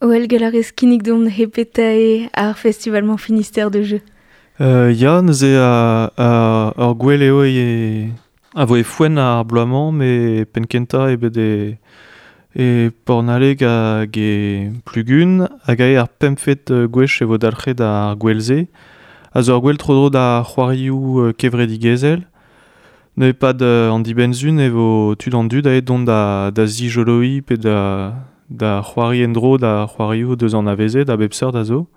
Oel gall a rez kinnig deomp hepeta eo ar festival-mañ Finistère de jeu. Ya, neuze ur gwel eo e a vo e foenn ar bloaz-mañ, met penn-kentañ eo bet e e Pornaleg hag e Plugun, hag aet ar pempvet gwech e vo dalc'het ar gwel-se. A zo ur gwel tro-dro da c'hoarioù kevredigezhel. Neuze e-pad an dibenn-sizhun e vo tud an dud aet dont da da zijoloiñ pe da da c'hoari en-dro da c'hoarioù deus anavezet a bep seurt a zo.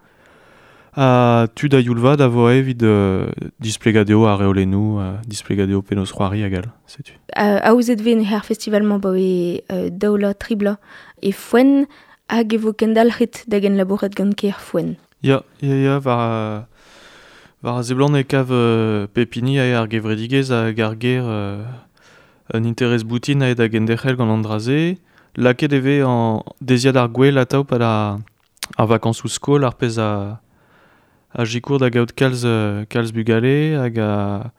Ha tud a-youl vat a vo aet evit displegañ dezho ar reolennoù, displegañ dezho penaos c'hoari hag all, setu. Aozet 'vez neuze ar festival-mañ abaoe daou vloaz, tri bloaz e Foenn hag e vo kendalc'het da genlabourat gant kêr Foenn. Ya, ya, ya, war war a seblant e kav pep hini eo ar gevredigezh hag ar gêr un interest boutin aet da genderc'hel gant an dra-se. Lakaet e vez an deiziad ar gwel atav pad ar vakañsoù skol, ar pezh a a sikour da gaout kalz kalz bugale hag a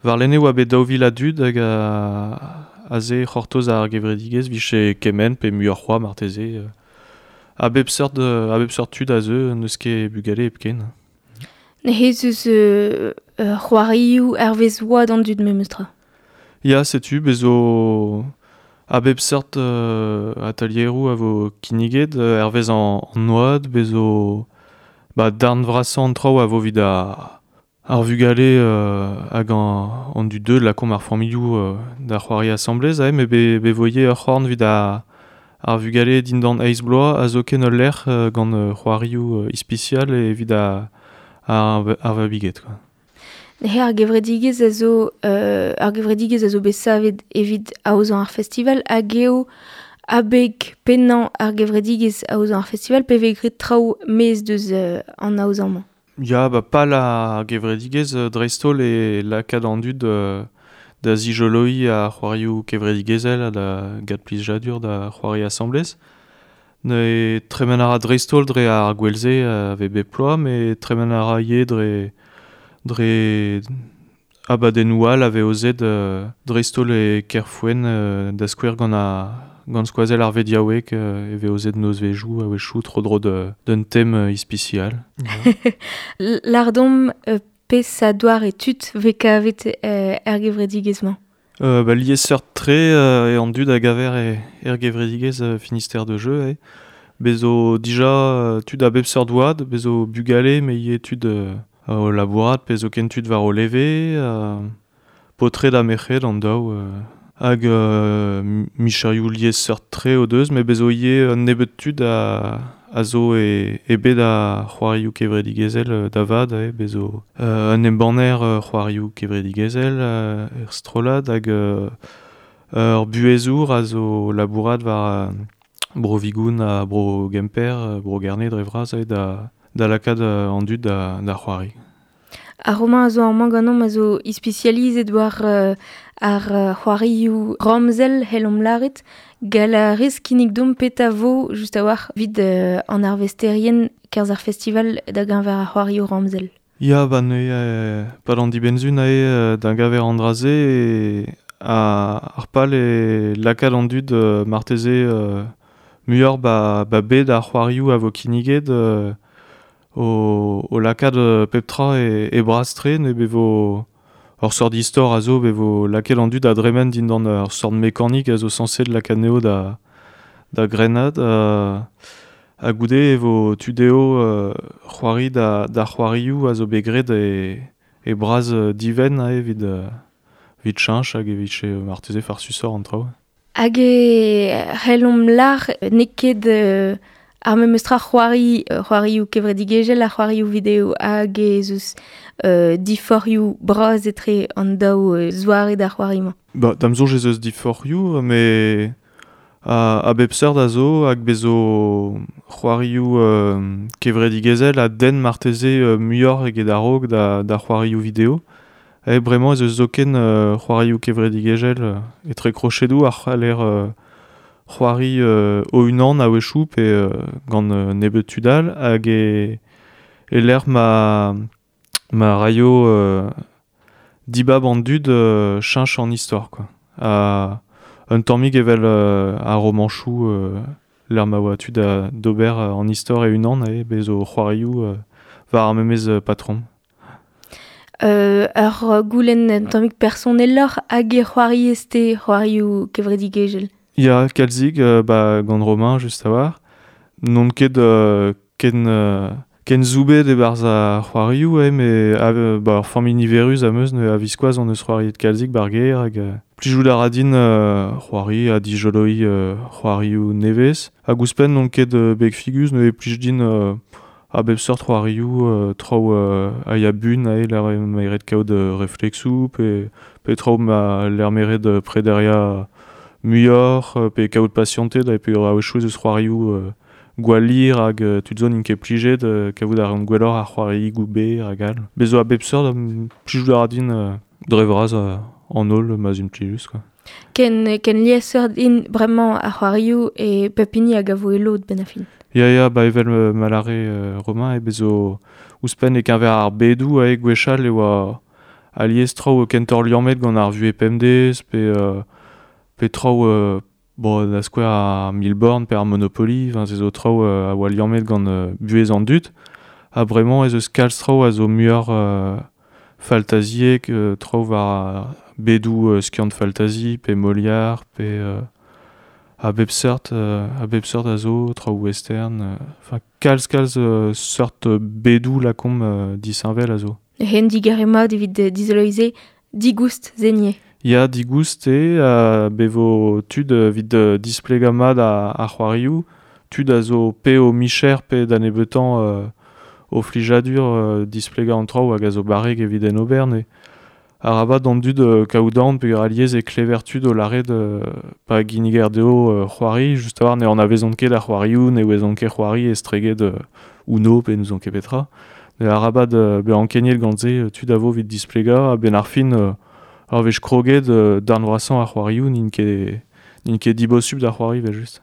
warlene e oa bet 2000 a dud hag a aze c'hortoz ar gevredigezh 'vije kement pe muioc'h c'hoazh marteze. A bep seurt a bep seurt tud a zeu, n'eus ket bugale hepken. Neuze ez eus c'hoarioù hervez oad an dud memestra. Ya, setu, bez zo a bep seurt atelieroù a vo kinniget hervez an oad, bez zo ba, darn vrasañ an traoù a vo evit ar vugale hag an dud deuet, lakaomp ar familhoù da c'hoari asambles, aze, met be vo ivez ur c'horn evit ar vugale dindan eizh bloaz ha zoken ul lec'h gant c'hoarioù ispisial evit ar ar vabiged quoi. Neuze ar gevredigezh a zo ar gevredigezh a zo bet savet evit aozañ ar festival hag eo abeg pennañ ar gevredigezh aozañ ar festival pe vez graet traoù maez deus an aozañ-mañ. Ya, ba pal ar gevredigezh dreist-holl eo lakaat an dud da zijoloiñ ar c'hoarioù kevredigezhel ha da gat plijadur da c'hoari asambles. Neuze tremen a ra dreist-holl dre ar gwel-se a vez bep bloaz, met tremen a ra ivez dre dre abadennoù all a vez aozet dreist-holl e Kerfouen da skouer gant ar gant skoazell ar vediaoueg e vez aozet nozvezhioù a-wechoù tro-dro d'un tem ispisial. Lardomp peseurt doare tud 'vez kavet er gevredigezh-mañ? Ba liesseurt-tre eo an dud a gaver er gevredigezh Finistère de jeu eo. Bez zo dija tud a bep seurt oad, bez zo bugale met ivez tud o labourat pe zoken tud war o leve, paotred ha merc'hed an daou hag micherioù liesseurt-tre o deus met bez zo ivez un nebeud tud a zo e bed ar c'hoarioù kevredigezhel da vat eo, bez zo un embanner c'hoarioù kevredigezhel er strollad hag ur buhezour a zo labourat war Bro-Vigoun ha Bro-Gemper, Bro-Gerne dre vras eo da da lakaat an dud da da c'hoari. Ar roman a zo amañ ganeomp a zo ispisializet war ar c'hoarioù ramzel, c'hellomp lâret. Gall a rez kinnig deomp petra 'vo just a-walc'h evit an arvesterien 'kerzh ar festival da geñver ar c'hoarioù ramzel. Ya, ba neuze pad an dibenn-sizhun aze da geñver an dra-se ar pal eo lakaat an dud marteze muioc'h ba ba bed ar c'hoarioù a vo kinniget o lakaat pep tra e bras-tre ne vo ur seurt istor a zo, e vo lakaet an dud da dremen dindan ur seurt mekanik a zo sañset lakaat anezho da da grennad ha goude e vo tu dezho c'hoari da da c'hoarioù a zo bet graet e e bras divent evit evit cheñch hag evit marteze farsusoc'h an traoù. Hag e c'hellomp lâr n'eo ket ar memes tra c'hoari c'hoarioù kevredigezhel ha c'hoarioù video hag ez eus diforc'hioù bras etre an daou zoare da c'hoari-mañ. Ba, da'm soñj ez eus diforc'hioù, met a bep seurt a zo hag bez zo c'hoarioù kevredigezhel a denn marteze muioc'h eget a-raok da da c'hoarioù video. E bremañ ez eus zoken c'hoarioù kevredigezhel etre krochedoù a c'haller c'hoari o-unan a-wechoù pe gant nebeut tud all hag e e-lec'h ma ma raio dibab an dud cheñch an istor quoi. Ha un tammig evel ar romanchoù l'er ma oa tud da d'ober an istor e unan e bez o c'hoarioù war ar memez patron. Ur goulenn un tammig personeloc'h hag e c'hoariez-te c'hoarioù kevredigezhel? Ya, kalzig, ba, gant Romain, just a-walc'h. N'on ket ken, ken zoubet e-barzh ar c'hoarioù, me ba, ur familh niverus am eus, a viskoazh on eus c'hoariet kalzig bar gêr hag plijout a ra din c'hoari ha dijoloiñ c'hoarioù nevez. Hag ouzhpenn n'on ket beg figus, neuze plij din a bep seurt c'hoarioù traoù a ya bun ae l'er meret kaout reflexoù pe, pe traoù ma l'er meret prederiañ muioc'h pe kaout pasianted ha pe a-wechoù ez eus c'hoarioù gwall hir hag tud zo n'int ket plijet kavout a reont gwelloc'h ar c'hoariigoù berr hag all. Bez zo a bep seurt, plijout a ra din dre vras an holl ma'z int plijus quoi. Ken, ken liesseurt int bremañ ar c'hoarioù e pep hini hag a vo e lod benn ar fin. Ya, ya, ba evel ma lâre Romain, e bez zo ouzhpenn e-keñver ar bedoù ae gwechall e oa alies traoù kentoc'h liammet gant ar vuhez pemdez pe, pe traoù bon, da skouer ar mille-bornes pe ar Monopoly, enfin, se zo traoù a oa liammet gant buhez an dud. Ha bremañ ez eus kalz traoù a zo muioc'h faltaziek, traoù war bedoù skiant faltazi pe Molière pe a bep seurt, a bep seurt a zo, traoù western, enfin kalz kalz seurt bedoù lakaomp disheñvel a zo. Hen digarez mat evit dizoloiñ se digoust zenier. Ya, digoust eo, be vo tud evit displegañ mat ar c'hoarioù, tud a zo pe o micher pe da nebeutañ o flijadur displegañ an traoù hag a zo barrek evit en ober, ne. Arabat d'an dud kaout aon peogwir alies e klever tud o lâret pa ginniger dezho c'hoari, just a-walc'h ne anavezont ket ar c'hoarioù, ne ouezont ket c'hoari estreget Uno pe n'ouzon ket petra. Arabat bezañ ankeniet gant se, tud a vo evit displegañ, a-benn ar fin ur wech kroget darn vrasañ ar c'hoarioù n'int ket dibosupl da c'hoari evel-just.